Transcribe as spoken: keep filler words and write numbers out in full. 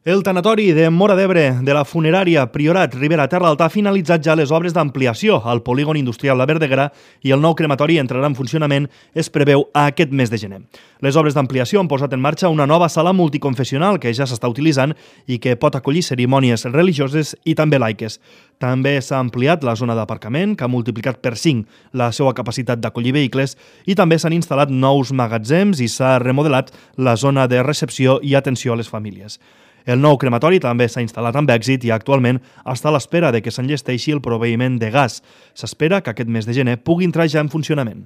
El tanatori de Móra d'Ebre de la funerària Priorat Ribera Terra Alta ha finalitzat ja les obres d'ampliació al polígon industrial La Verdeguera i el nou crematori entrarà en funcionament, es preveu, aquest mes de gener. Les obres d'ampliació han posat en marxa una nova sala multiconfessional que ja s'està utilitzant i que pot acollir cerimònies religioses i també laiques. També s'ha ampliat la zona d'aparcament, que ha multiplicat per cinc la seva capacitat d'acollir vehicles, i també s'han instal·lat nous magatzems i s'ha remodelat la zona de recepció i atenció a les famílies. El nou crematori també s'ha instal·lat amb èxit i actualment està a l'espera de que s'enllesteixi el proveïment de gas. S'espera que aquest mes de gener pugui entrar ja en funcionament.